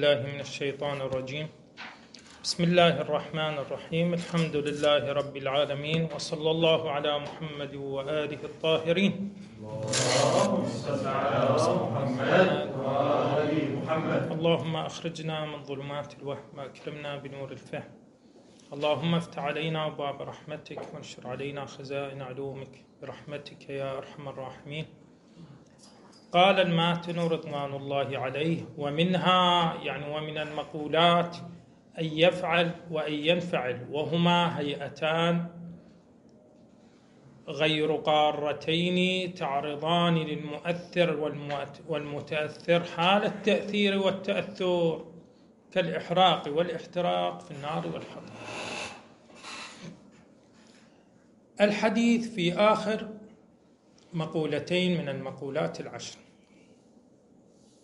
الله من الشيطان الرجيم. بسم الله الرحمن الرحيم. الحمد لله رب العالمين، وصلى الله على محمد وآله الطاهرين. اللهم صل على محمد وآل محمد. اللهم أخرجنا من ظلمات الوهم وأكرمنا بنور الفهم. اللهم افتح علينا أبواب رحمتك وانشر علينا خزائن علومك برحمتك يا أرحم الراحمين. قال الماتن رضوان الله عليه: ومنها، يعني ومن المقولات، أن يفعل وأن ينفعل، وهما هيئتان غير قارتين تعرضان للمؤثر والمتأثر حال التأثير والتأثر، كالإحراق والاحتراق في النار والحطب. الحديث في آخر مقولتين من المقولات العشر.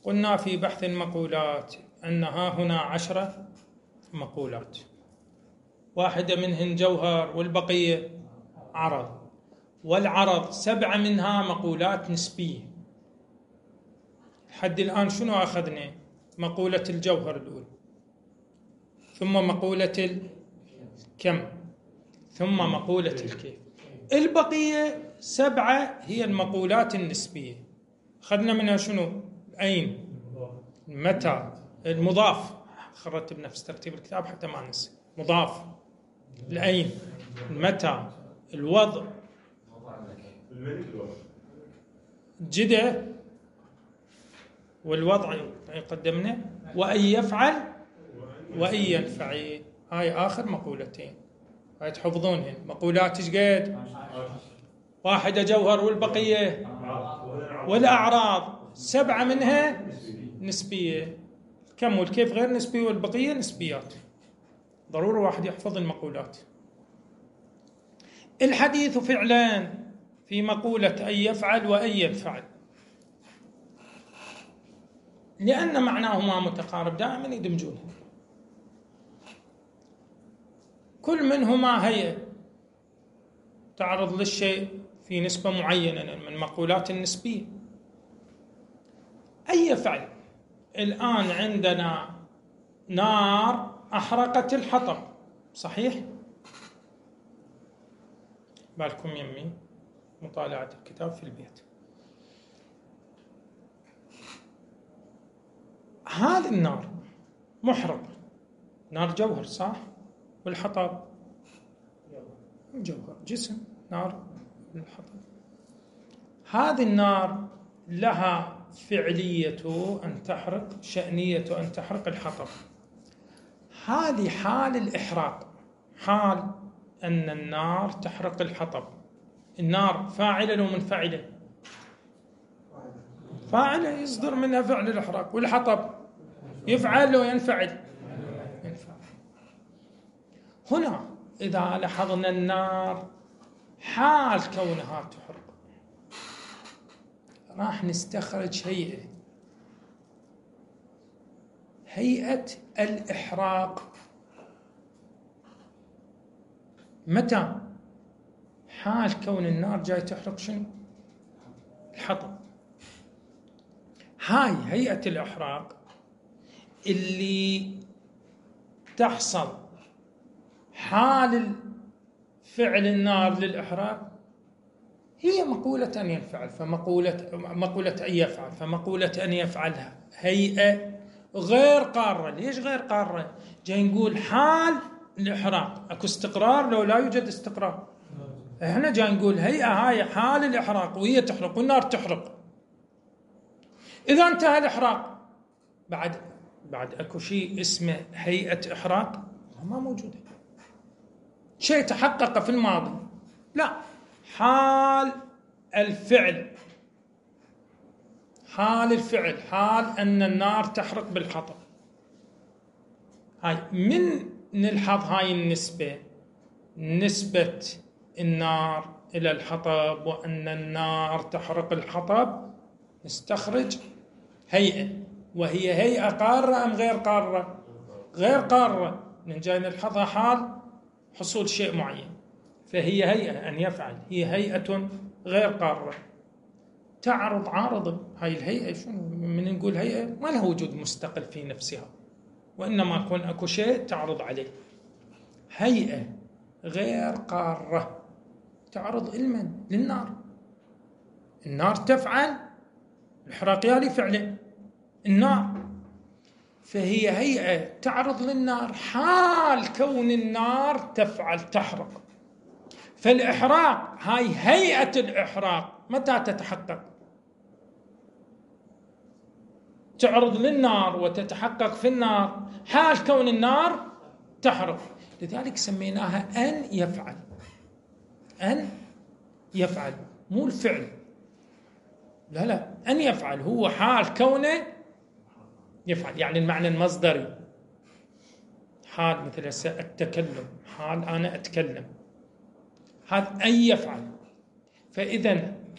قلنا في بحث المقولات أنها هنا 10 مقولات، واحدة منهن جوهر والبقية عرض، والعرض 7 منها مقولات نسبية. لحد الآن شنو أخذنا؟ مقولة الجوهر الأولى، ثم مقولة الكم، ثم مقولة الكيف. البقية 7 هي المقولات النسبية. أخذنا منها شنو؟ أين، متى، المضاف. خرجت بنفس ترتيب الكتاب حتى ما ننسى. مضاف، الأين، المتى، الوضع، جدة، والوضع قدمنا، وأن يفعل وأن ينفعل. هاي آخر مقولتين، هاي تحفظونهن. مقولات ايش قد؟ واحدة جوهر والبقية والأعراض، 7 منها نسبية. كم والكيف غير نسبي والبقية نسبيات. ضروري واحد يحفظ المقولات. الحديث فعلا في مقولة أن يفعل وأن ينفعل، لأن معناهما متقارب، دائما يدمجونه. كل منهما هيئة تعرض للشيء في نسبة معينة من مقولات النسبية. أي فعل. الآن عندنا نار أحرقت الحطب، صحيح؟ بالكم يمي مطالعة الكتاب في البيت. هذه النار محرقة، نار جوهر، صح؟ والحطب جوهر، جسم، نار الحطب. هذه النار لها فعلية أن تحرق، شأنية أن تحرق الحطب. هذه حال الإحراق، حال أن النار تحرق الحطب. النار فاعلة ومنفعلة؟ فاعلة، يصدر منها فعل الإحراق. والحطب يفعل وينفعل؟ ينفعل. هنا إذا لاحظنا النار حال كونها تحرق، راح نستخرج هيئة، هيئة الإحراق. متى؟ حال كون النار جاي تحرق شنو؟ الحطب. هاي هيئة الإحراق اللي تحصل حال فعل النار للإحراق، هي مقولة أن ينفعل. فمقولة مقولة أن يفعل، فمقولة أن يفعلها هيئة غير قارة. ليش غير قارة؟ جاي نقول حال الإحراق، أكو استقرار لو لا يوجد استقرار؟ احنا جاي نقول هيئة هاي حال الإحراق، وهي تحرق والنار تحرق. إذا انتهى الإحراق بعد أكو شيء اسمه هيئة إحراق؟ ما موجودة. شيء تحقق في الماضي، لا، حال الفعل، حال الفعل، حال أن النار تحرق بالحطب. هاي من نلحظ هاي النسبة، نسبة النار إلى الحطب وأن النار تحرق الحطب، نستخرج هيئة، وهي هيئة قارة أم غير قارة؟ غير قارة، نجي نلحظها حال حصول شيء معين، فهي هيئة أن يفعل، هي هيئة غير قارة تعرض عارض. هاي الهيئة شنو؟ من نقول هيئة ما لها وجود مستقل في نفسها، وإنما يكون أكو شيء تعرض عليه. هيئة غير قارة تعرض المن؟ للنار. النار تفعل الإحراق يالي فعله النار، فهي هيئة تعرض للنار حال كون النار تفعل تحرق. فالإحراق هاي هيئة الإحراق متى تتحقق؟ تعرض للنار وتتحقق في النار حال كون النار تحرق، لذلك سميناها أن يفعل. أن يفعل مو الفعل، لا لا، أن يفعل هو حال كونه يفعل، يعني المعنى المصدري. حال مثل التكلم، حال أنا أتكلم، هذا أن يفعل. فإذا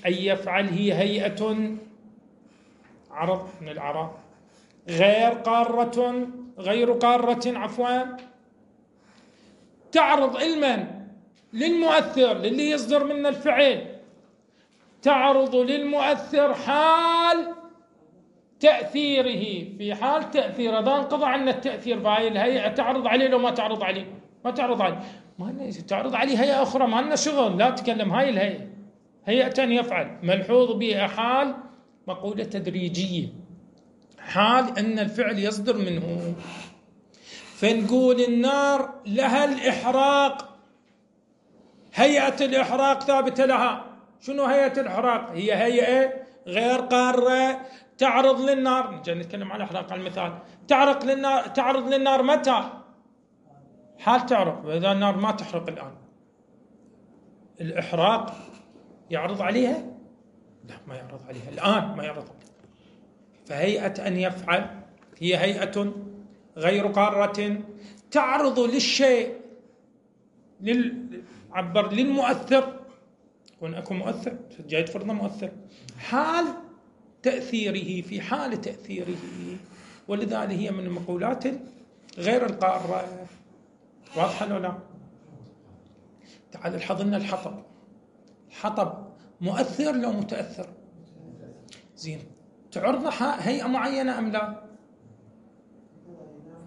أن يفعل هي هيئة عرض من الأعراض غير قارة، غير قارة عفوا، تعرض المن؟ للمؤثر، للي يصدر منه الفعل، تعرض للمؤثر حال تأثيره، في حال تأثيره. إذا انقضى عنا التأثير فهي الهيئة تعرض عليه لو ما تعرض عليه؟ ما تعرض عليه، ما تعرض عليه هيئة أخرى، ما لنا شغل، لا تكلم. هاي الهيئة هيئة يفعل ملحوظ بها حال مقولة تدريجية، حال أن الفعل يصدر منه. فنقول النار لها الإحراق، هيئة الإحراق ثابتة لها. شنو هيئة الإحراق؟ هي هيئة غير قارة تعرض للنار. نجي نتكلم على الإحراق على المثال. تعرض للنار، تعرض للنار متى؟ حال تعرض. وإذا النار ما تحرق الآن، الإحراق يعرض عليها؟ لا، ما يعرض عليها الآن، ما يعرض عليها. فهيئة أن يفعل هي هيئة غير قارة تعرض للشيء، عبر للمؤثر، يكون أكو مؤثر جاي تفرضنا مؤثر، حال تأثيره، في حال تأثيره. ولذلك هي من المقولات غير القارة. واضحة لو لا؟ تعال الحظ الحطب. الحطب مؤثر لو متأثر؟ زين، تعرض هيئة معينة أم لا؟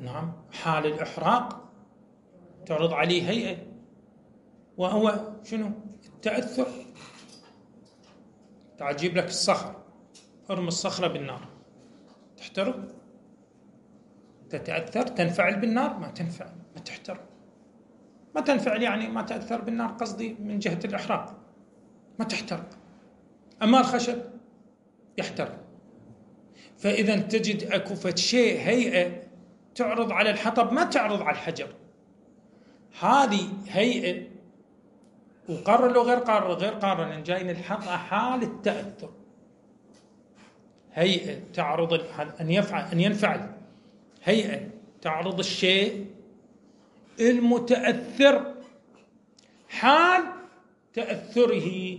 نعم، حال الإحراق تعرض عليه هيئة، وهو شنو؟ التأثر. تعجيب لك الصخر، ارمي الصخرة بالنار تحترق؟ تتأثر؟ تنفعل بالنار؟ ما تنفعل، ما تحترق، ما تنفعل، يعني ما تأثر بالنار، قصدي من جهة الإحراق ما تحترق. أما الخشب يحترق. فإذا تجد أكو شيء هيئة تعرض على الحطب ما تعرض على الحجر، هذه هيئة وقارة لو غير قارة؟ غير قارة، لأن جاي نلحقها حال التأثر. هيئة تعرض أن يفعل، أن ينفعل، هيئة تعرض الشيء المتأثر حال تأثره،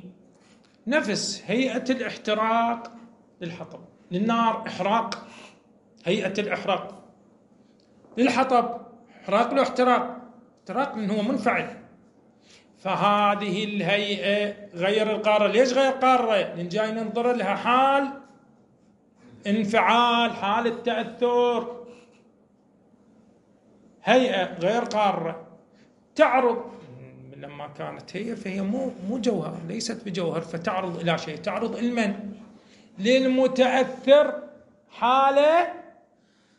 نفس هيئة الاحتراق للحطب، للنار إحراق، هيئة الإحراق للحطب إحراق له احتراق، احتراق من هو منفعل. فهذه الهيئة غير القارة. ليش غير قارة؟ لأن جاي ننظر لها حال انفعال، حال التأثر. هيئة غير قارة تعرض، لما كانت هي فهي مو جوهر، ليست بجوهر، فتعرض إلى شيء، تعرض المن؟ للمتأثر حال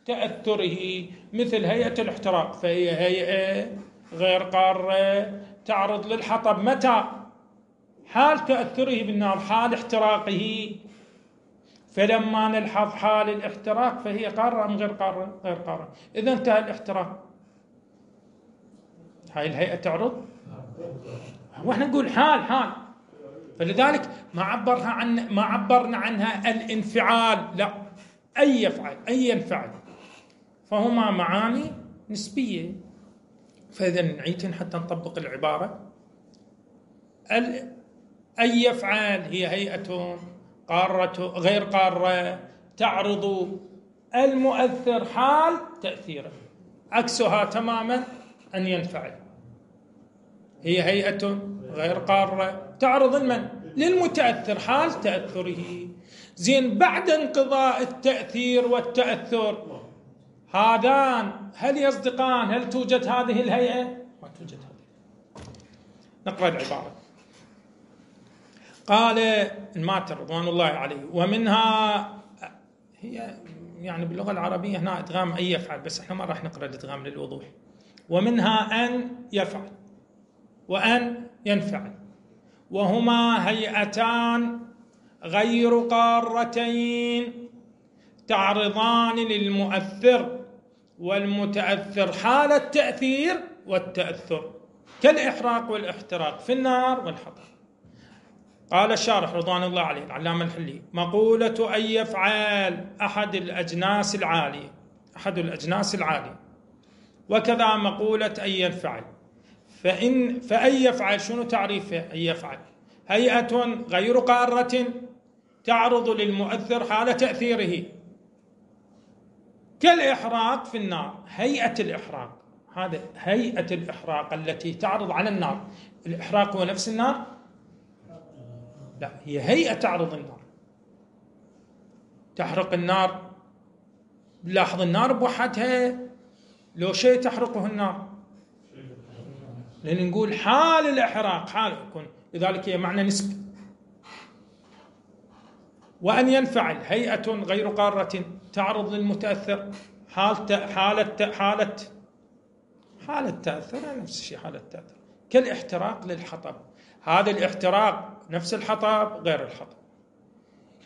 تأثره، مثل هيئة الاحتراق، فهي هيئة غير قارة تعرض للحطب متى؟ حال تأثره بالنار، حال احتراقه. فلما نلحظ حال الاحتراق فهي قارة أم غير قارة؟ غير قارة. إذا انتهى الاحتراق هاي الهيئة تعرض، واحنا نقول حال حال، فلذلك ما عبرها عن، ما عبرنا عنها الانفعال، لا، أي يفعل، أي ينفعل، فهما معاني نسبية. فإذا نعيد حتى نطبق العبارة. أي يفعل هي هيئة قارة غير قارة تعرض المؤثر حال تأثيره، عكسها تماما أن ينفعل، هي هيئة غير قارة تعرض المن؟ للمتأثر حال تأثره. زين، بعد انقضاء التأثير والتأثر هذان هل يصدقان؟ هل توجد هذه الهيئة؟ ما توجد هذه. نقرأ العبارة. قال الماتر رضوان الله عليه: ومنها، هي يعني باللغة العربية هنا إدغام أن يفعل، بس احنا ما راح نقرأ الإدغام للوضوح. ومنها أن يفعل وأن ينفعل، وهما هيئتان غير قارتين تعرضان للمؤثر والمتأثر حال التأثير والتأثر، كالإحراق والاحتراق في النار والحطب. قال الشارح رضوان الله عليه العلامة الحلي: مقولة أن يفعل أحد الأجناس العالية، أحد الأجناس العالية، وكذا مقولة أن ينفعل. فأن يفعل شنو تعريفه؟ أن يفعل هيئة غير قارة تعرض للمؤثر حال تأثيره، كالإحراق في النار. هيئة الإحراق، هذا هيئة الإحراق التي تعرض على النار. الإحراق هو نفس النار؟ لا، هي هيئة تعرض النار، تحرق النار. لاحظ النار بوحدها لو شيء تحرقه النار، لأن نقول حال الإحراق، حال يكون، لذلك هي معنى نسبي. وأن ينفعل هيئة غير قارة تعرض للمتأثر حالة حالة تأثر، نفس الشيء حالة تأثر، كالاحتراق للحطب. هذا الاحتراق نفس الحطب غير الحطب،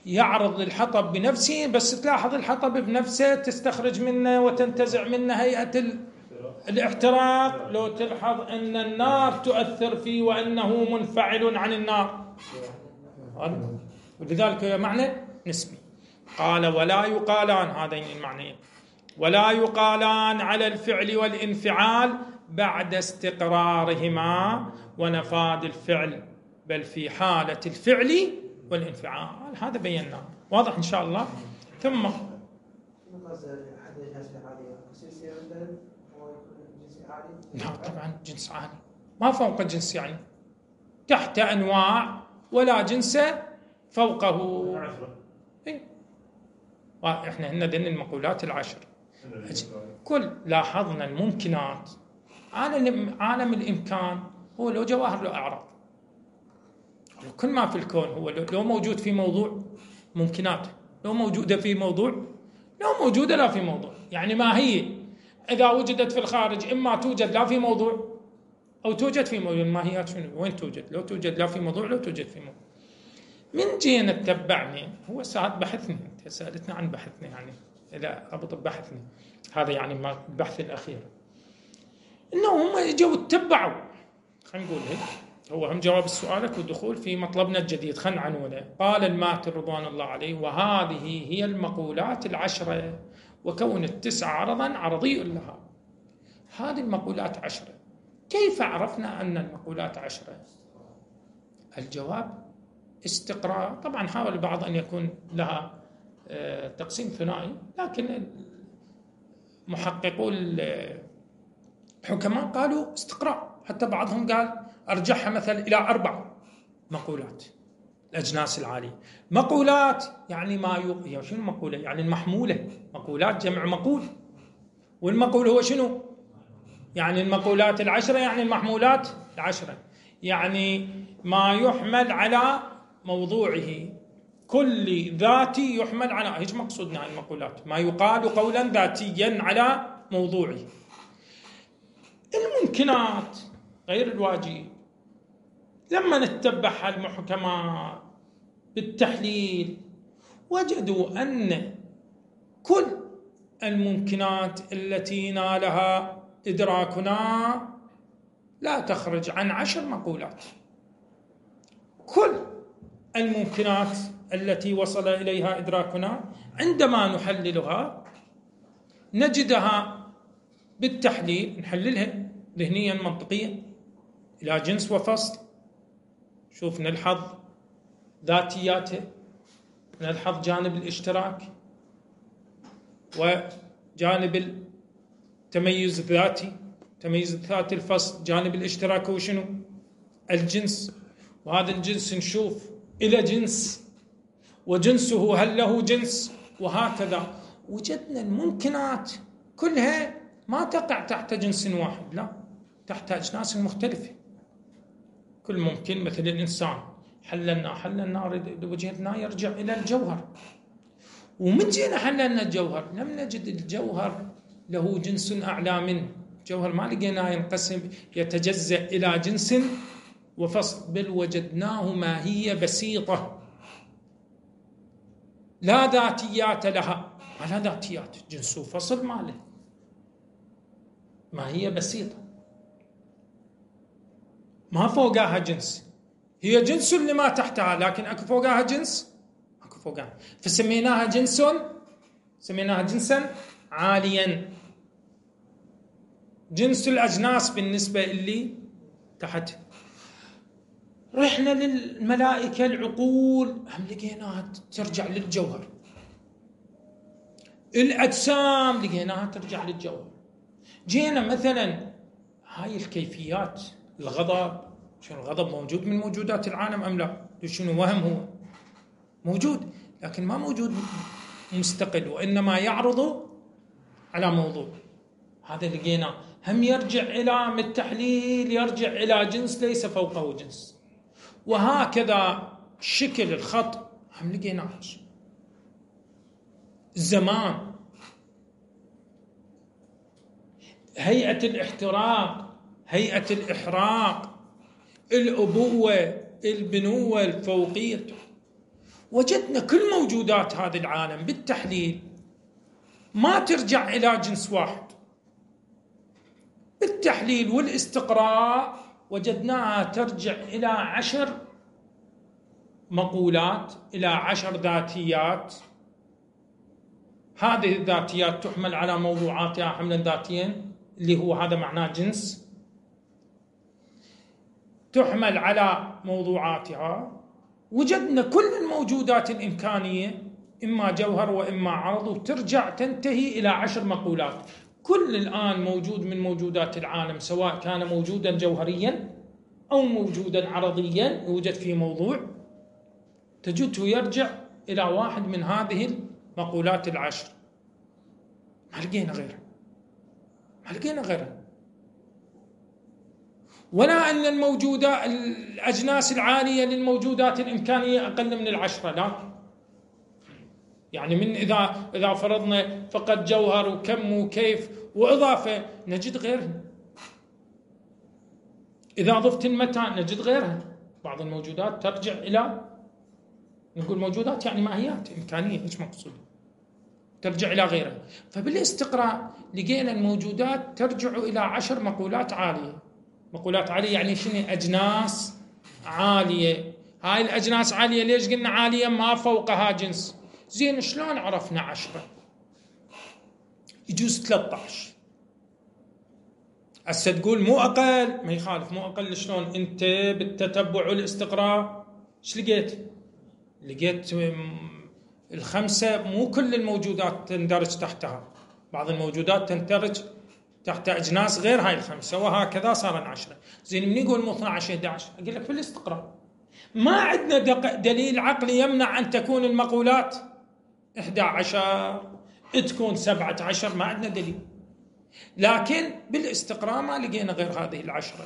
يعرض للحطب بنفسه، بس تلاحظ الحطب بنفسه تستخرج منه وتنتزع منه هيئة الاحتراق. لو تلاحظ أن النار تؤثر فيه وأنه منفعل عن النار، ولذلك هي معنى نسبي. قال: ولا يقالان، هذين المعنيين، ولا يقالان على الفعل والانفعال بعد استقرارهما ونفاذ الفعل، بل في حالة الفعل والانفعال. هذا بيناه، واضح إن شاء الله. ثم لا طبعا جنس عالي، ما فوق جنس، يعني تحت أنواع ولا جنس فوقه. إيه؟ احنا هنا ذن المقولات العشر. كل لاحظنا الممكنات، عالم الإمكان هو لو جواهر لو أعراض، كل ما في الكون هو لو موجود في موضوع ممكنات، لو موجودة في موضوع، لو موجودة لا في موضوع. يعني ما هي إذا وجدت في الخارج إما توجد لا في موضوع أو توجد في موضوع. الماهيات شنو؟ وين توجد؟ لو توجد لا في موضوع، لو توجد في موضوع. من جينا تتبعني هو ساعات بحثني، أنت سألتنا عن بحثنا، يعني إذا ربط بحثني هذا يعني ما البحث الأخير، إنه هم إجوا اتبعوا، خلينا نقول هيك، هو هم جواب سؤالك والدخول في مطلبنا الجديد. خلينا عنونه. قال الماتر رضوان الله عليه: وهذه هي المقولات العشرة، وكون التسعة عرضا عرضي لها. هذه المقولات عشرة. كيف عرفنا أن المقولات عشرة؟ الجواب استقراء. طبعا حاول البعض أن يكون لها تقسيم ثنائي، لكن محققو الحكماء قالوا استقراء، حتى بعضهم قال أرجحها مثلا إلى 4 مقولات الأجناس العالية. مقولات يعني ما يعني شنو مقولة؟ يعني المحمولة. مقولات جمع مقول، والمقول هو شنو؟ يعني المقولات العشرة، يعني المحمولات العشرة، يعني ما يحمل على موضوعه، كل ذاتي يحمل على، هيك مقصودنا المقولات، ما يقال قولا ذاتيا على موضوعه. الممكنات غير الواجب لما نتبعها المحكمات بالتحليل وجدوا أن كل الممكنات التي نالها إدراكنا لا تخرج عن 10 مقولات. كل الممكنات التي وصل إليها إدراكنا عندما نحللها نجدها بالتحليل، نحللها ذهنيا منطقيا إلى جنس وفصل. شوف نلحظ ذاتياته، نلحظ جانب الاشتراك وجانب التميز الذاتي، تميز الذاتي الفصل، جانب الاشتراك هو شنو؟ الجنس، وهذا الجنس نشوف إلى جنس وجنسه هل له جنس، وهكذا. وجدنا الممكنات كلها ما تقع تحت جنس واحد، لا، تحت أجناس مختلفة. كل ممكن مثل الإنسان حللنا وجهتنا يرجع إلى الجوهر، ومن جينا حللنا الجوهر لم نجد الجوهر له جنس أعلى منه. الجوهر ما لقيناه ينقسم يتجزأ إلى جنس وفصل، بل وجدناه ماهية بسيطة لا ذاتيات لها، ما لها ذاتيات، جنس وفصل ما له، ماهية بسيطة ما فوقها جنس، هي جنس لما تحتها لكن اكو فوقها جنس، اكو فوقها، فسميناها جنس، سميناها جنسا عاليا، جنس الأجناس بالنسبة اللي تحت. رحنا للملائكة العقول هم لقيناها ترجع للجوهر، الأجسام لقيناها ترجع للجوهر. جينا مثلا هاي الكيفيات، الغضب، شنو الغضب موجود من موجودات العالم أم لا؟ شنو وهم؟ هو موجود لكن ما موجود مستقل، وإنما يعرض على موضوع. هذا لقيناه هم يرجع إلى التحليل، يرجع إلى جنس ليس فوقه جنس. وهكذا شكل الخط هم لقيناه، الزمان، هيئة الاحتراق، هيئة الإحراق، الأبوة، البنوة، الفوقية. وجدنا كل موجودات هذا العالم بالتحليل ما ترجع إلى جنس واحد. بالتحليل والاستقراء وجدناها ترجع إلى 10 مقولات، إلى 10 ذاتيات. هذه الذاتيات تحمل على موضوعاتها حملا ذاتيا، اللي هو هذا معناه جنس، تحمل على موضوعاتها. وجدنا كل الموجودات الإمكانية إما جوهر وإما عرض، وترجع تنتهي إلى 10 مقولات. كل الآن موجود من موجودات العالم، سواء كان موجودا جوهريا أو موجودا عرضيا يوجد فيه موضوع، تجده يرجع إلى واحد من هذه المقولات 10. ما لقينا غيرها، ما لقينا غيرها. ولا أن الموجودة الأجناس العالية للموجودات الإمكانية أقل من 10، لا. يعني من إذا فرضنا فقط جوهر وكم وكيف وإضافة نجد غيرها، إذا ضفت المتى نجد غيرها. بعض الموجودات ترجع إلى، نقول موجودات يعني ماهيات إمكانية، إيش مقصود، ترجع إلى غيرها. فبالاستقراء لقينا الموجودات ترجع إلى 10 مقولات عالية. مقولات عالية يعني شنو؟ أجناس عالية. هاي الأجناس عالية ليش قلنا عالية؟ ما فوقها جنس. زين شلون عرفنا 10؟ يجوز 13. هسه تقول مو أقل، ما يخالف، مو أقل شلون؟ أنت بالتتبع والاستقراء ايش لقيت؟ لقيت 5 مو كل الموجودات تندرج تحتها، بعض الموجودات تندرج تحت أجناس غير هاي 5، وهكذا صار 10. زين من يقول مو 12 11؟ أقول لك بالاستقراء ما عندنا دليل عقلي يمنع أن تكون المقولات 11 تكون 17، ما عندنا دليل، لكن بالاستقراء ما لقينا غير هذه 10.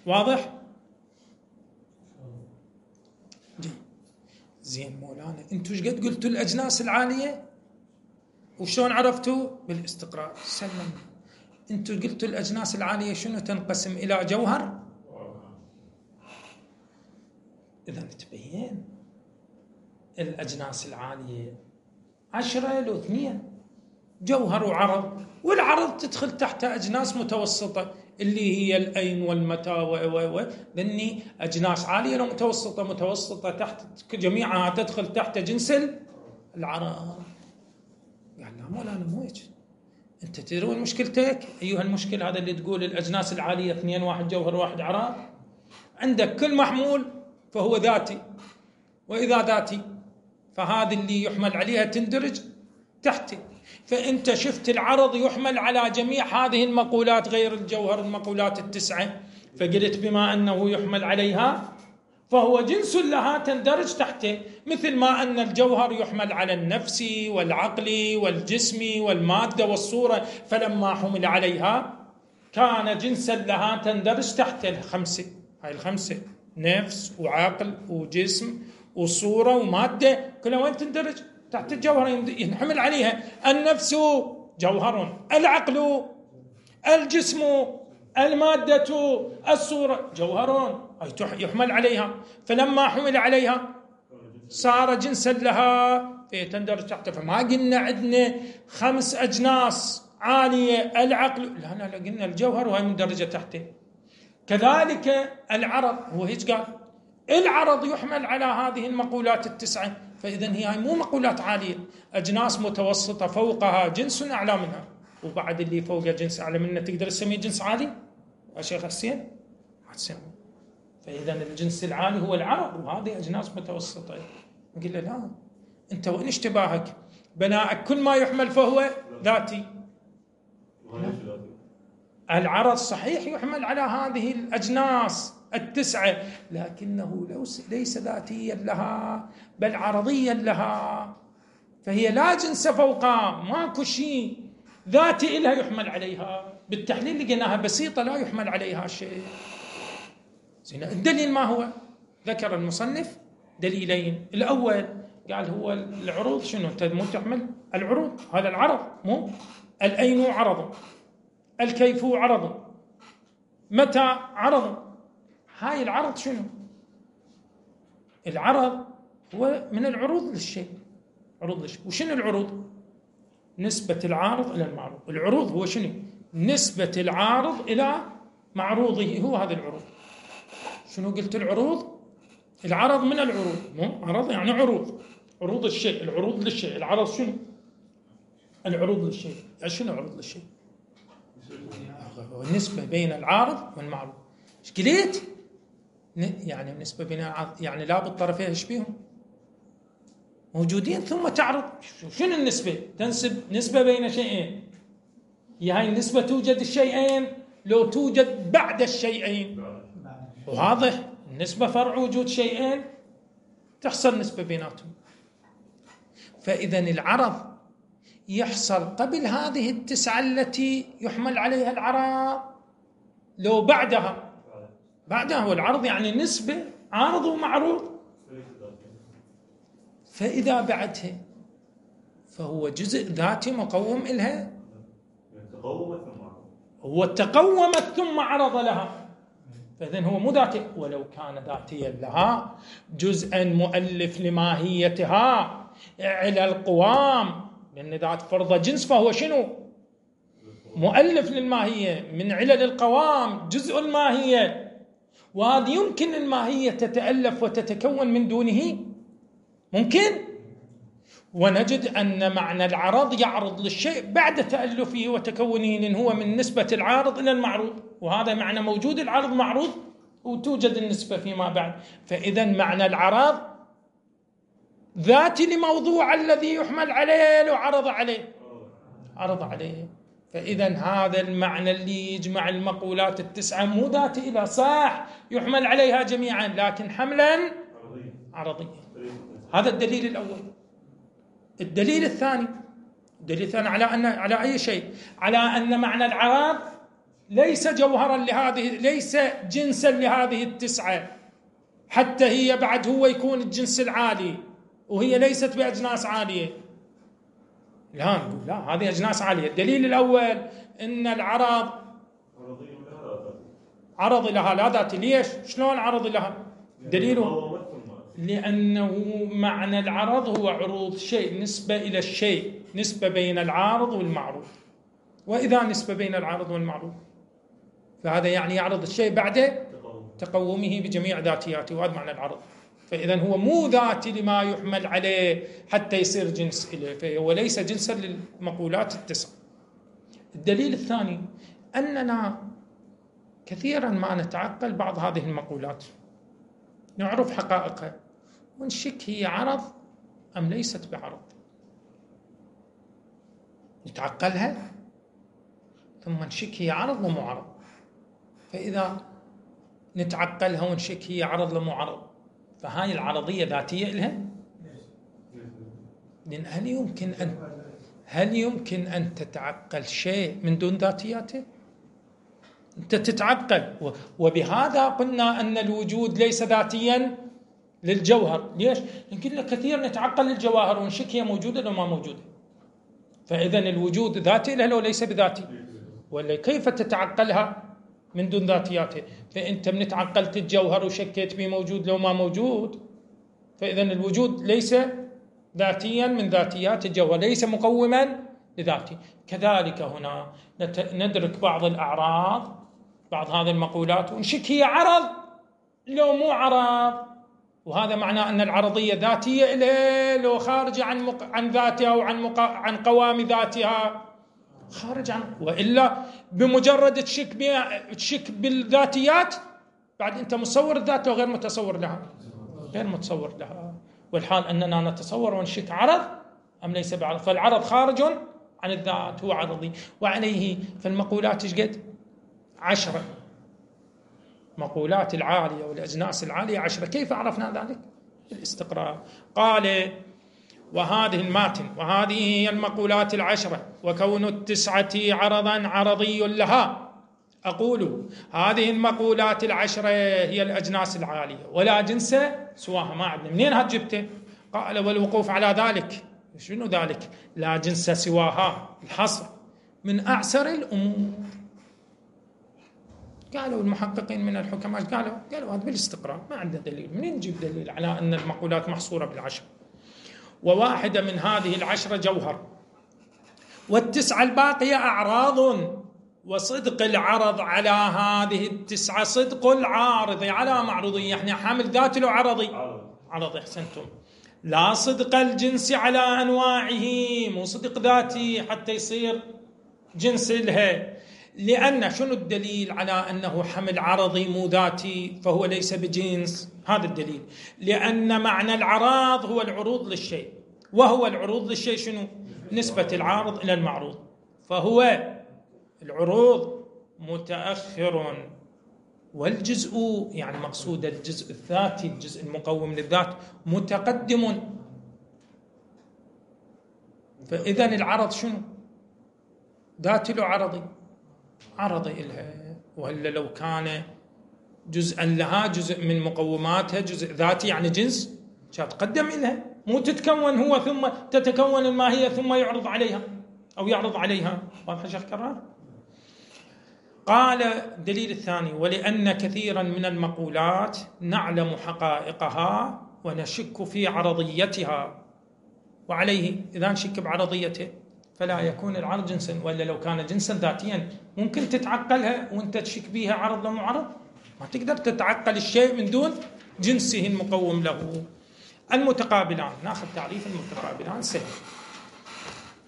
واضح؟ زين مولانا انتو ايش قد قلتوا الأجناس العالية؟ وشلون عرفتوا؟ بالاستقراء. سلم. انتو قلتوا الأجناس العالية شنو تنقسم إلى جوهر؟ إذا تبين الأجناس العالية 10 لو 2 جوهر وعرض، والعرض تدخل تحت أجناس متوسطة اللي هي الأين والمتى و لأني أجناس عالية لو متوسطة، متوسطة تحت جميعها تدخل تحت جنس العرض. قال لا مولانا مو هيك، أنت تدري وين مشكلتك؟ أيها المشكلة هذا اللي تقول الأجناس العالية 2 1 جوهر 1 عرض، عندك كل محمول فهو ذاتي، وإذا ذاتي فهذا اللي يحمل عليها تندرج تحته. فأنت شفت العرض يحمل على جميع هذه المقولات غير الجوهر، المقولات 9، فقلت بما أنه يحمل عليها فهو جنس لها تندرج تحته، مثل ما أن الجوهر يحمل على النفس والعقل والجسم والمادة والصورة، فلما حمل عليها كان جنسا لها تندرج تحت الخمسة. هاي الخمسة نفس وعقل وجسم وصورة ومادة، كلها وين تندرج؟ تحت الجوهر، ينحمل عليها. النفس جوهر، العقل، الجسم، المادة، الصورة جوهر، يحمل عليها، فلما حمل عليها صار جنسا لها تندرج تحته. فما قلنا عندنا خمس أجناس عالية العقل، لا لا لا، قلنا الجوهر وهي مندرجة تحته. كذلك العرض، هو هيك قال العرض يحمل على هذه المقولات التسعة، فإذا هي مو مقولات عالية، أجناس متوسطة فوقها جنس أعلى منها، وبعد اللي فوقها جنس أعلى منه تقدر تسميه جنس عالي يا شيخ حسين؟ ما تسميه. فإذا الجنس العالي هو العرض وهذه أجناس متوسطة. نقول له لا، أنت وين اشتباهك؟ بناءك كل ما يحمل فهو ذاتي. العرض صحيح يحمل على هذه الأجناس التسعة، لكنه ليس ذاتيا لها بل عرضيا لها، فهي لا جنس فوقها، ماكو شيء ذاتي إلها يحمل عليها. بالتحليل لقيناها بسيطة لا يحمل عليها شيء. زين، الدليل ما هو؟ ذكر المصنف دليلين. الأول قال هو العروض، شنو؟ أنت مو تحمل العروض، هذا العرض، مو الأين عرض، الكيف عرض، متى عرض. هاي العرض شنو؟ العرض هو من العروض للشيء، عروض للشيء. وشنو العروض؟ نسبة العارض إلى المعروض. العروض هو شنو؟ نسبة العارض إلى معروضه، هو هذا العروض. شنو قلت العروض؟ العرض من العروض، مو عرض يعني عروض، عروض الشيء، العروض للشيء. العرض شنو؟ العروض للشيء. شنو عروض للشيء؟ النسبة بين العارض والمعروض. ايش قلت؟ يعني النسبة بين العارض، يعني لا بالطرفين ايش بيهم؟ موجودين ثم تعرض. شنو النسبة؟ تنسب نسبة بين شيئين. هي هاي النسبة توجد الشيئين لو توجد بعد الشيئين. واضح؟ النسبة فرع وجود شيئين، تحصل نسبة بيناتهم. فإذا العرض يحصل قبل هذه التسعة التي يحمل عليها العرض لو بعدها. بعدها هو العرض يعني نسبة عارض ومعروض. فإذا بعدها فهو جزء ذاتي مقوم إلها، هو تقومت ثم عرض لها، فإذن هو مو ذاتي. ولو كان ذاتيا لها جزءا مؤلف لماهيتها على القوام، لأن ذات فرض جنس فهو شنو؟ مؤلف للماهية، من علل القوام، جزء الماهية. وهذه يمكن الماهية تتألف وتتكون من دونه، ممكن. ونجد أن معنى العرض يعرض للشيء بعد تألفه وتكونه، لأن هو من نسبة العارض إلى المعروض، وهذا معنى موجود العرض معروض وتوجد النسبة فيما بعد. فإذا معنى العرض ذاتي لموضوع الذي يحمل عليه لو عرض عليه، عرض عليه. فإذا هذا المعنى اللي يجمع المقولات التسعة مو ذاتي إلى صح يحمل عليها جميعا، لكن حملا عرضيا. هذا الدليل الأول. الدليل الثاني، الدليل الثاني على أن على أي شيء؟ على أن معنى العرض ليس جوهرا لهذه، ليس جنسا لهذه التسعة، حتى هي بعد هو يكون الجنس العالي، وهي ليست بأجناس عالية. لا نقول لا، هذه أجناس عالية. الدليل الأول أن العرض عرض لها لا ذات. ليش؟ شلون عرض لها؟ دليله لأنه معنى العرض هو عروض شيء، نسبة إلى الشيء، نسبة بين العارض والمعروض. وإذا نسبة بين العارض والمعروض فهذا يعني يعرض الشيء بعد تقومه بجميع ذاتياته، وهذا معنى العرض. فإذا هو مو ذاتي لما يحمل عليه حتى يصير جنس إليه، فهو ليس جنسا للمقولات التسع. الدليل الثاني أننا كثيرا ما نتعقل بعض هذه المقولات، نعرف حقائقها ونشك هي عرض أم ليست بعرض، نتعقلها ثم نشك هي عرض ومو عرض. فإذا نتعقلها ونشك هي عرض لمو عرض، فهاي العرضية ذاتية لها؟ لأن هل يمكن أن تتعقل شيء من دون ذاتياته؟ أنت تتعقل، وبهذا قلنا أن الوجود ليس ذاتيا للجوهر. ليش؟ لأن كثير نتعقل الجواهر ونشك هي موجودة لو ما موجودة. فإذا الوجود ذاتي له لو ليس بذاتي، ولا كيف تتعقلها من دون ذاتياته؟ فأنت من تعقلت الجوهر وشكيت به موجود لو ما موجود، فإذا الوجود ليس ذاتيا من ذاتيات الجوهر، ليس مقوما لذاته. كذلك هنا ندرك بعض الأعراض، بعض هذه المقولات، ونشك هي عرض لو مو عرض، وهذا معناه أن العرضية ذاتية إليه لو خارجة عن ذاتها وعن عن قوام ذاتها، خارج عن، وإلا بمجرد تشك بالذاتيات بعد أنت مصور الذات وغير متصور لها، غير متصور لها. والحال أننا نتصور ونشك عرض أم ليس بعرض، فالعرض خارج عن الذات، هو عرضي. وعليه فالمقولات ايش قد؟ 10 مقولات العالية والأجناس العالية 10. كيف عرفنا ذلك؟ الاستقراء. قال وهذه الماتن، وهذه هي المقولات 10، وكون 9 عرضا عرضي لها. أقول هذه المقولات 10 هي الأجناس العالية ولا جنس سواها، ما عندنا. منين هاد جبته؟ قال والوقوف على ذلك، شنو ذلك؟ لا جنس سواها، الحصر من أعسر الأمور. قالوا المحققين من الحكماء، قالوا هذا بالاستقراء، ما عندنا دليل. منين نجيب دليل على أن المقولات محصورة بال10؟ وواحدة من هذه 10 جوهر، و9 الباقية أعراض، وصدق العرض على هذه 9 صدق العارض على معروضه، يعني حامل ذات له عرضي، عرضي. أحسنتم. لا صدق الجنس على أنواعه، مو صدق ذاتي حتى يصير جنس لها. لأن شنو الدليل على أنه حمل عرضي مو ذاتي فهو ليس بجنس؟ هذا الدليل، لأن معنى العراض هو العروض للشيء، وهو العروض للشيء شنو؟ نسبة العارض إلى المعروض، فهو العروض متأخر، والجزء يعني مقصود الجزء الذاتي، الجزء المقوم للذات، متقدم. فإذا العرض شنو؟ ذاتي لو عرضي؟ عرضي إلها. وهلا لو كان جزءا لها، جزء من مقوماتها، جزء ذاتي يعني جنس، تقدم إلها، مو تتكون هو ثم تتكون الماهية ثم يعرض عليها أو يعرض عليها. واضح شيخ كرار؟ قال الدليل الثاني: ولأن كثيرا من المقولات نعلم حقائقها ونشك في عرضيتها، وعليه إذا نشك بعرضيته فلا يكون العرض جنسا، ولا لو كان جنسا ذاتيا ممكن تتعقلها وانت تشك بها عرض لو عرض، ما تقدر تتعقل الشيء من دون جنسه المقوم له. المتقابلان، ناخذ تعريف المتقابلان سهل.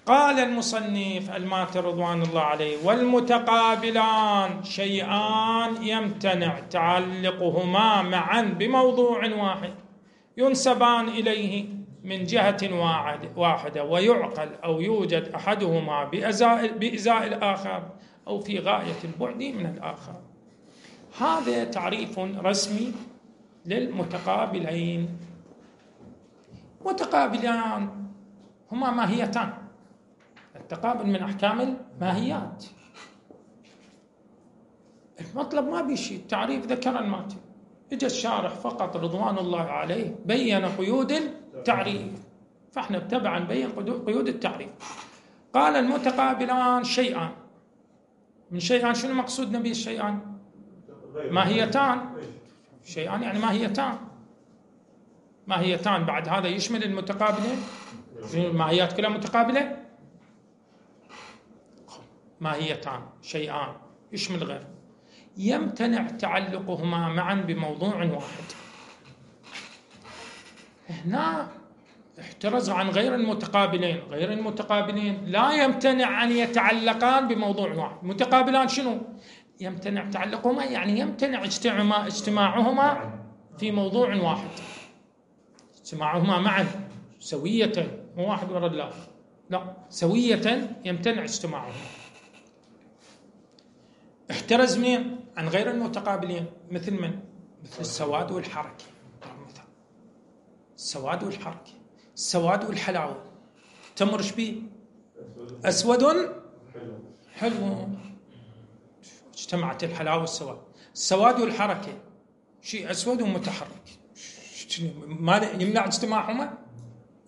قال المصنف الماتر رضوان الله عليه: والمتقابلان شيئان يمتنع تعلقهما معا بموضوع واحد ينسبان إليه من جهة واحدة، ويعقل أو يوجد أحدهما بإزاء الآخر أو في غاية البعد من الآخر. هذا تعريف رسمي للمتقابلين. متقابلان هما ماهيتان، التقابل من أحكام الماهيات. المطلب ما بيشي التعريف ذكر الماتن، اجى الشارح فقط رضوان الله عليه بين قيود التعريف، فاحنا تبعا بين قيود التعريف. قال المتقابلان شيئان، من شيئان شنو مقصودنا به الشيئان؟ ماهيتان. شيئان يعني ماهيتان، ماهيتان بعد هذا يشمل المتقابلين، الماهيات كلها متقابلة، ماهيتان شيئان يشمل غير. يمتنع تعلقهما معا بموضوع واحد. هنا احترز عن غير المتقابلين، غير المتقابلين لا يمتنع أن يتعلقان بموضوع واحد. متقابلان شنو؟ يمتنع تعلقهما يعني يمتنع اجتماعهما في موضوع واحد، اجتماعهما معا سوية، مو واحد وراء الآخر، لا سوية يمتنع اجتماعهما. احترز من عن غير المتقابلين، مثل من؟ مثل السواد والحركة. مثال السواد والحركة، السواد والحلاوة. تمر شبيه؟ أسود حلو. اجتمعت الحلاوة والسواد. السواد والحركة، شيء أسود ومتحرك، ما يمنع اجتماعهما؟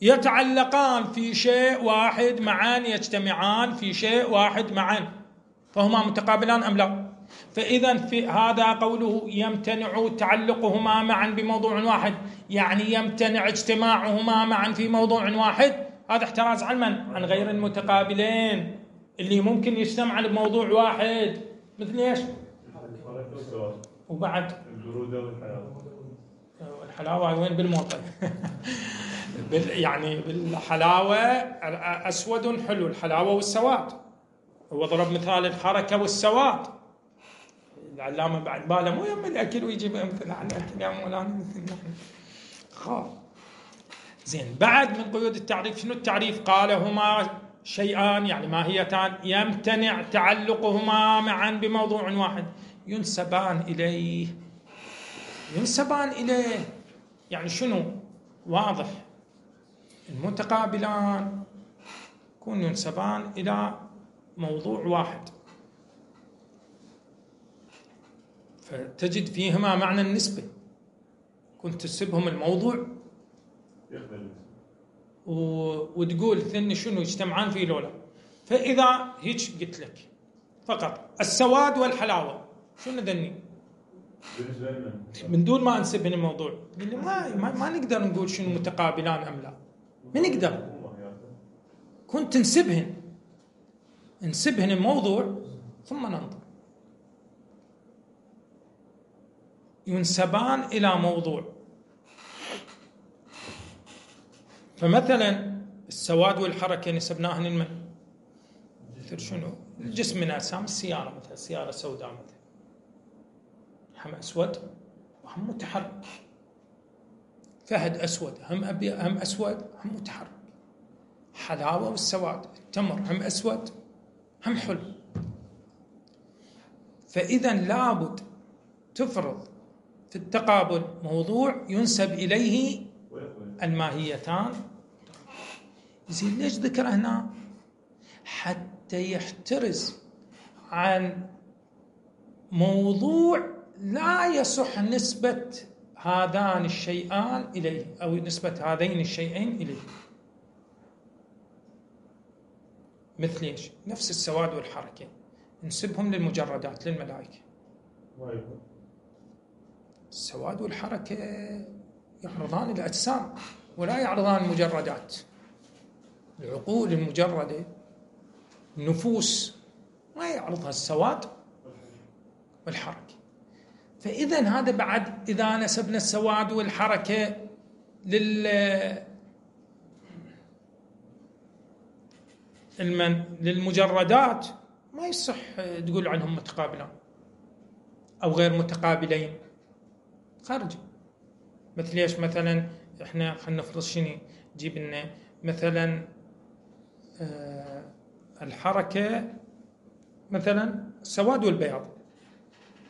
يتعلقان في شيء واحد معا، يجتمعان في شيء واحد معا، فهما متقابلان أم لا؟ فإذا في هذا قوله يمتنع تعلقهما معا بموضوع واحد، يعني يمتنع اجتماعهما معا في موضوع واحد. هذا احتراز عن من؟ عن غير المتقابلين اللي ممكن يجتمعن بموضوع واحد، مثل ايش؟ وبعد البرودة والحلاوة. الحلاوة وين؟ بالموطن. يعني بالحلاوة أسود حلو، الحلاوة والسواد. هو ضرب مثال الحركة والسواد. العلامة بعد باله مو يم الأكل ويجيب أمثلة على الأكل يا مولانا مثل نحن. خلاص زين. بعد من قيود التعريف، شنو التعريف؟ قال هما شيئان، يعني ماهيتان، يمتنع تعلقهما معا بموضوع واحد، ينسبان إليه. ينسبان إليه يعني شنو؟ واضح، المتقابلان يكون ينسبان إلى موضوع واحد، فتجد فيهما معنى النسبة. كنت تسبهم الموضوع وتقول ثني شنو يجتمعان فيه لولا. فإذا هيك قلت لك فقط السواد والحلاوة، شنو ذني؟ من دون ما انسبهن الموضوع، ما نقدر نقول شنو متقابلان أم لا، ما نقدر. كنت نسبهن، نسبهن الموضوع ثم ننظر. ينسبان إلى موضوع. فمثلا السواد والحركة نسبناهن لمن؟ مثل شنو؟ الجسم من أجسام السيارة، مثلا سيارة سوداء مثلا، هم أسود وهم متحرك. فهد أسود، هم أبيض، هم أسود، هم متحرك. حلاوة والسواد، التمر هم أسود هم حلو. فإذا لابد تفرض في التقابل موضوع ينسب إليه الماهيتان. زين ليش ذكر هنا؟ حتى يحترز عن موضوع لا يصح نسبة هذان الشيئان إليه، أو نسبة هذين الشيئين إليه. مثل إيش؟ نفس السواد والحركة نسبهم للمجردات، للملائكة. السواد والحركة يعرضان الأجسام ولا يعرضان المجردات. العقول المجردة، النفوس، ما يعرضها السواد والحركة. فإذا هذا بعد إذا نسبنا السواد والحركة للمجردات ما يصح تقول عنهم متقابلان أو غير متقابلين، خارج. مثل ايش مثلا؟ احنا خلينا نفرض شنو جيب لنا مثلا الحركة، مثلا السواد والبياض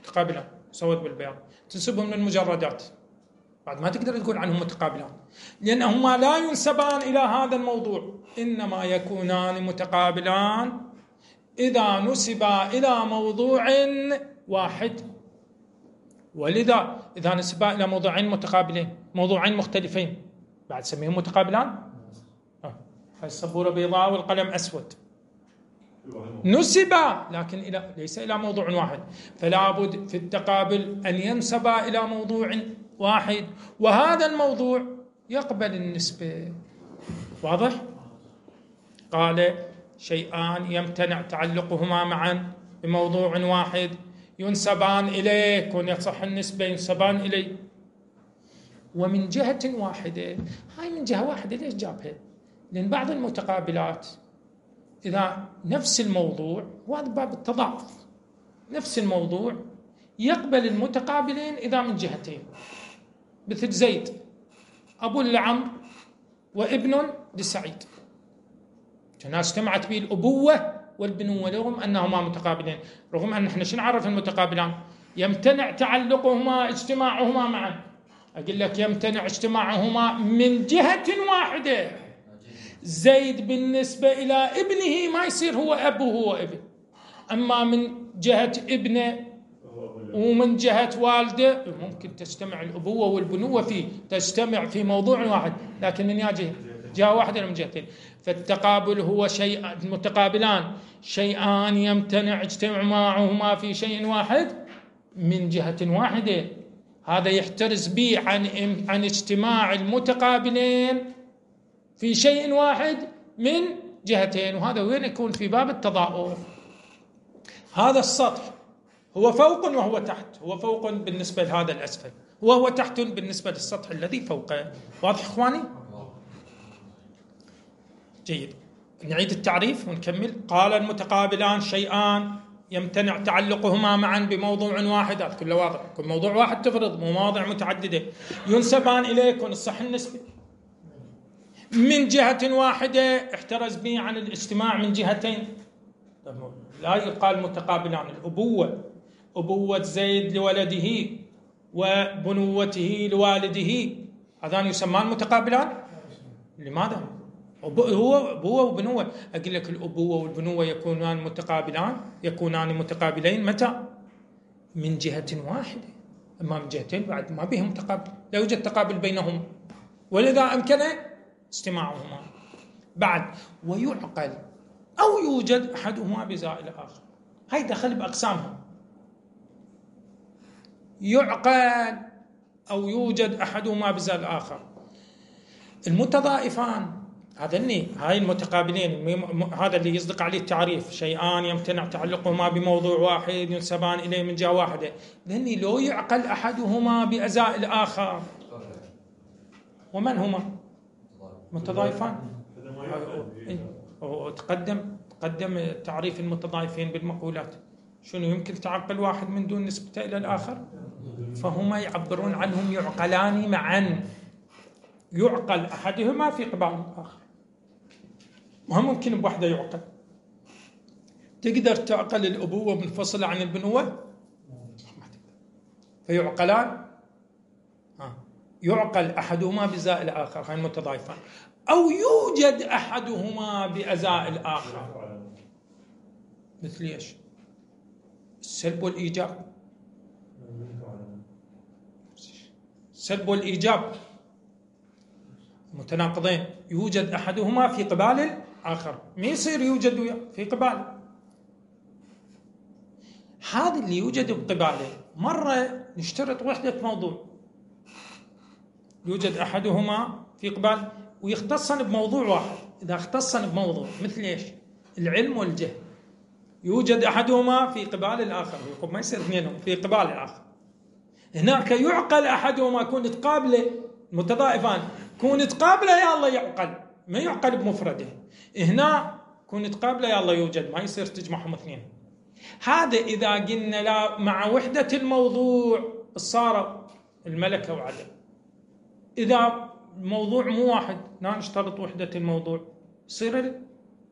متقابلان، السواد والبياض تنسبهم للمجردات، بعد ما تقدر تقول عنهم متقابلان لأنهما لا ينسبان إلى هذا الموضوع، إنما يكونان متقابلان إذا نسبا إلى موضوع واحد. ولذا إذا نسبا إلى موضوعين متقابلين، موضوعين مختلفين، بعد سميهم متقابلان. السبورة بيضاء والقلم أسود، نسبا لكن إلى ليس إلى موضوع واحد، فلا بد في التقابل أن ينسبا إلى موضوع واحد، وهذا الموضوع يقبل النسبة. واضح؟ قال شيئان يمتنع تعلقهما معا بموضوع واحد ينسبان إليه، كون يصح النسبة ينسبان إليه، ومن جهة واحدة. هاي من جهة واحدة ليش جابها؟ لأن بعض المتقابلات إذا نفس الموضوع، وهذا باب التضاعف، نفس الموضوع يقبل المتقابلين إذا من جهتين، مثل زيد أبو لعمرو وابن لسعيد، الناس اجتمعت به الأبوة والبنوة رغم أنهما متقابلين، رغم أن احنا شو نعرف المتقابلان؟ يمتنع تعلقهما اجتماعهما معا. أقول لك يمتنع اجتماعهما من جهة واحدة. زيد بالنسبة إلى ابنه ما يصير هو أب وهو ابن، أما من جهة ابنه ومن جهة والده ممكن تجتمع الأبوة والبنوة فيه، تجتمع في موضوع واحد، لكن من جهة، جهة واحدة من جهتين. فالتقابل هو شيء، متقابلان شيئان يمتنع اجتماعهما في شيء واحد من جهة واحدة. هذا يحترز به عن اجتماع المتقابلين في شيء واحد من جهتين، وهذا وين يكون؟ في باب التضاؤف. هذا السطح هو فوق وهو تحت، هو فوق بالنسبة لهذا الأسفل وهو تحت بالنسبة للسطح الذي فوقه. واضح إخواني؟ جيد. نعيد التعريف ونكمل. قال المتقابلان شيئان يمتنع تعلقهما معا بموضوع واحد. هذا كله واضح، كل موضوع واحد تفرض، مو مواضيع متعددة. ينسبان إليه، يكون الصح النسبي من جهة واحدة، احترز به عن الاجتماع من جهتين. لا يقال متقابلان. الأبوة، أبوة زيد لولده وبنوته لوالده، هذان يسمان متقابلان؟ لماذا؟ هو أبوة وبنوة. أقول لك الأبوة والبنوة يكونان متقابلان، يكونان متقابلين متى؟ من جهة واحدة، أما من جهتين بعد ما بهم تقابل، لا يوجد تقابل بينهم، ولذا أمكن اجتماعهما. بعد ويعقل أو يوجد أحدهما بزائل الآخر، هاي دخل بأقسامهم. يعقل أو يوجد أحدهما بزائل الآخر. المتضائفان هذني، هاي المتقابلين، هذا اللي يصدق عليه التعريف، شيئان يمتنع تعلقهما بموضوع واحد ينسبان إليه من جهة واحدة، ذني لو يعقل أحدهما بأزاء الآخر. ومن هما؟ متضايفان. تقدم تعريف المتضايفين بالمقولات. شنو يمكن تعقل واحد من دون نسبته إلى الآخر؟ فهما يعبرون عنهم يعقلان معا، يعقل أحدهما في قبال الآخر، ما ممكن بوحده يعقل. تقدر تعقل الأبوة منفصلة عن البنوة؟ ما تقدر. فيعقلان، يعقل أحدهما بزاء الآخر، هاي المتضايفان، أو يوجد أحدهما بأزاء الآخر. مثل إيش؟ السلب والإيجاب. السلب والإيجاب متناقضين، يوجد أحدهما في قبال الآخر، ما يصير يوجد في قبال. هذا اللي يوجد بقباله مرة نشترط وحدة موضوع، يوجد أحدهما في قبال ويختصن بموضوع واحد. إذا اختصن بموضوع مثل إيش؟ العلم والجهل، يوجد أحدهما في قبال الآخر، ما يصير اثنينهم في قبال الآخر. هناك يعقل أحدهما، كون تقابله متضائفان، كون تقابله يا الله يعقل، ما يعقل بمفرده. هنا كون تقابله يا الله يوجد، ما يصير تجمعهم اثنين. هذا إذا قلنا لا مع وحدة الموضوع صار الملكة وعدم. إذا الموضوع مو واحد، لا نشترط وحدة الموضوع، يصير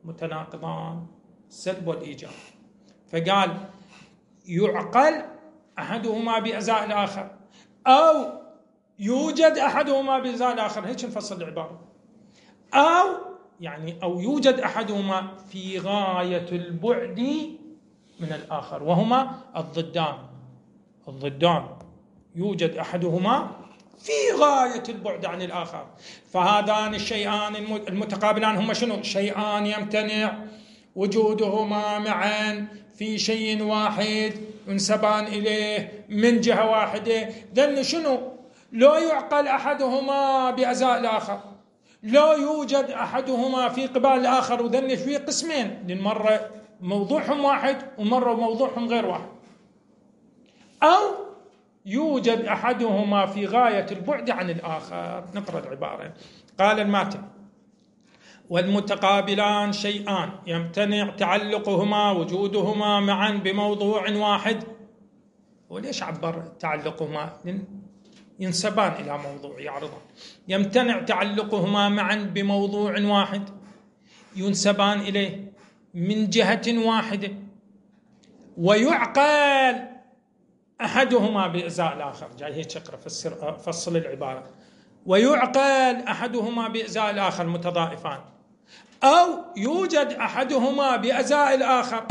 متناقضان، السلب والإيجاب. فقال يعقل أحدهما بأزاء الآخر أو يوجد أحدهما بأزاء الآخر، هيك نفصل العبارة. أو يعني أو يوجد أحدهما في غاية البعد من الآخر، وهما الضدان. الضدان يوجد أحدهما في غاية البعد عن الآخر. فهذان الشيئان المتقابلان هما شنو؟ شيئان يمتنع وجودهما معا في شيء واحد ينسبان إليه من جهة واحدة. ذن شنو؟ لا يعقل أحدهما بأزاء الآخر، لا يوجد أحدهما في قبال الآخر. وذن في قسمين، لأن مرة موضوعهم واحد ومرة موضوعهم غير واحد. أو يوجد أحدهما في غاية البعد عن الآخر. نقرأ العبارة. قال الماتن: والمتقابلان شيئان يمتنع تعلقهما وجودهما معا بموضوع واحد. وليش عبر تعلقهما؟ ينسبان إلى موضوع، يعرضان. يمتنع تعلقهما معا بموضوع واحد ينسبان إليه من جهة واحدة، ويعقل أحدهما بإزاء الآخر. جاي هيك اقرأ، فصل العبارة. ويعقل أحدهما بإزاء الآخر متضائفان، أو يوجد أحدهما بأزاء الآخر،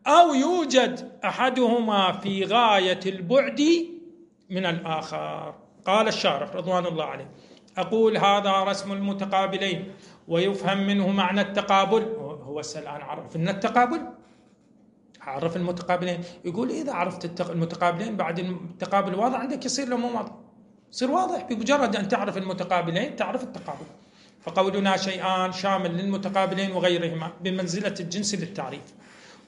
أو يوجد أحدهما في غاية البعد من الآخر. قال الشارح رضوان الله عليه: أقول هذا رسم المتقابلين ويفهم منه معنى التقابل. هو الآن عرف لنا التقابل، عرف المتقابلين. يقول إذا عرفت المتقابلين بعد التقابل واضح عندك، يصير له مو واضح، يصير واضح بمجرد أن تعرف المتقابلين تعرف التقابل. فقولنا شيئان شامل للمتقابلين وغيرهما بمنزلة الجنس للتعريف.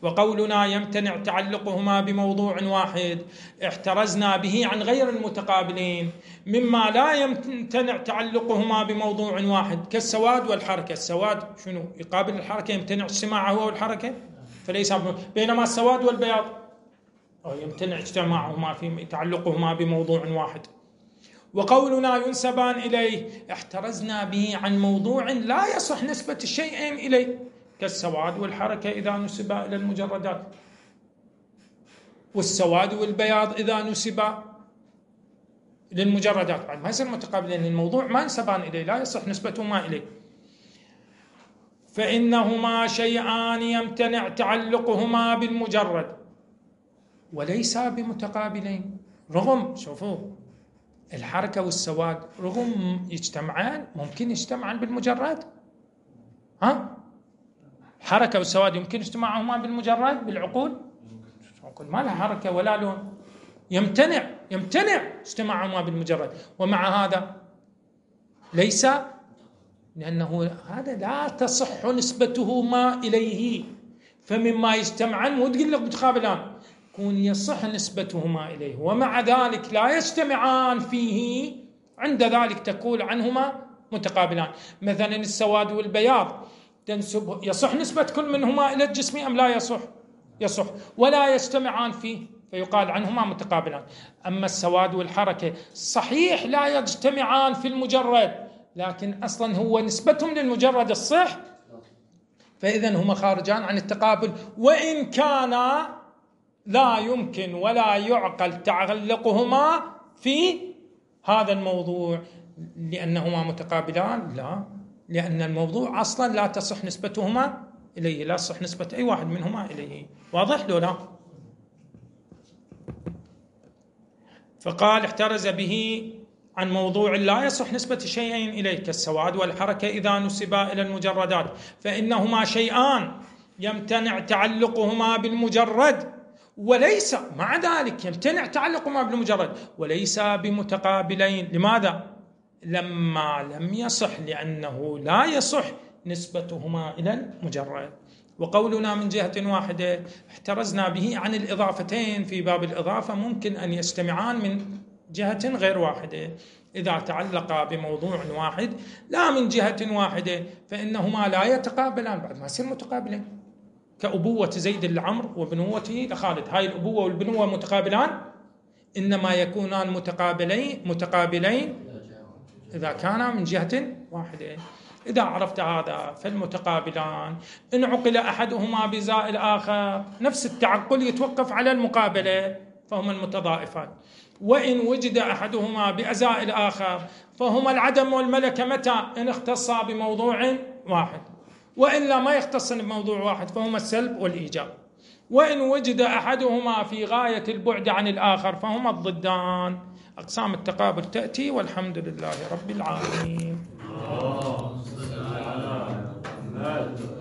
وقولنا يمتنع تعلقهما بموضوع واحد احترزنا به عن غير المتقابلين مما لا يمتنع تعلقهما بموضوع واحد، كالسواد والحركة. السواد شنو يقابل الحركة؟ يمتنع اجتماعه هو والحركة، فليس. بينما السواد والبياض يمتنع اجتماعهما في تعلقهما بموضوع واحد. وقولنا ينسبان إليه احترزنا به عن موضوع لا يصح نسبة الشيئين إليه، كالسواد والحركة إذا نسبا إلى المجردات، والسواد والبياض إذا نسبا للمجردات، بعد ما يصير متقابلين، الموضوع ما ينسبان إليه، لا يصح نسبتهما إليه. فإنهما شيئان يمتنع تعلقهما بالمجرد وليسا بمتقابلين. رغم، شوفوا، الحركة والسواد رغم يجتمعان، ممكن يجتمعان بالمجرد. ها؟ حركة والسواد يمكن اجتماعهما بالمجرد بالعقول؟ ما لها حركة ولا لون، يمتنع اجتماعهما بالمجرد. ومع هذا ليس، لأنه هذا لا تصح نسبتهما إليه، فمما يجتمعان مو تقول لك متقابلان، يكون يصح نسبتهما إليه ومع ذلك لا يجتمعان فيه، عند ذلك تقول عنهما متقابلان. مثلا السواد والبياض تنسب، يصح نسبة كل منهما إلى الجسم أم لا يصح؟ يصح، ولا يجتمعان فيه فيقال عنهما متقابلان. أما السواد والحركة صحيح لا يجتمعان في المجرد، لكن أصلا هو نسبتهم للمجرد الصح، فإذن هما خارجان عن التقابل، وإن كان لا يمكن ولا يعقل تعلقهما في هذا الموضوع لأنهما متقابلان، لا، لأن الموضوع أصلا لا تصح نسبتهما إليه، لا تصح نسبة أي واحد منهما إليه. واضح لو لا؟ فقال احترز به عن موضوع لا يصح نسبة شيئين إليه، كالسواد والحركة إذا نسبا إلى المجردات، فإنهما شيئان يمتنع تعلقهما بالمجرد وليس، مع ذلك يمتنع تعلقهما بالمجرد وليس بمتقابلين. لماذا؟ لما لم يصح، لأنه لا يصح نسبتهما إلى المجرد. وقولنا من جهة واحدة احترزنا به عن الإضافتين في باب الإضافة، ممكن أن يجتمعان من جهة غير واحدة إذا تعلقا بموضوع واحد لا من جهة واحدة، فإنهما لا يتقابلان، بعد ما يصير متقابلين، كأبوة زيد لعمرو وبنوته لخالد، هاي الأبوة والبنوة متقابلان، إنما يكونان متقابلين إذا كانا من جهة واحدة. إذا عرفت هذا فالمتقابلان إن عقل أحدهما بزاء الآخر، نفس التعقل يتوقف على المقابلة، فهما المتضائفان. وإن وجد أحدهما بأزاء الآخر فهما العدم والملكة متى؟ إن اختصا بموضوع واحد، وإلا ما يختصن بموضوع واحد فهما السلب والإيجاب. وإن وجد أحدهما في غاية البعد عن الآخر فهما الضدان. أقسام التقابل تأتي، والحمد لله رب العالمين. اللهم صل على محمد.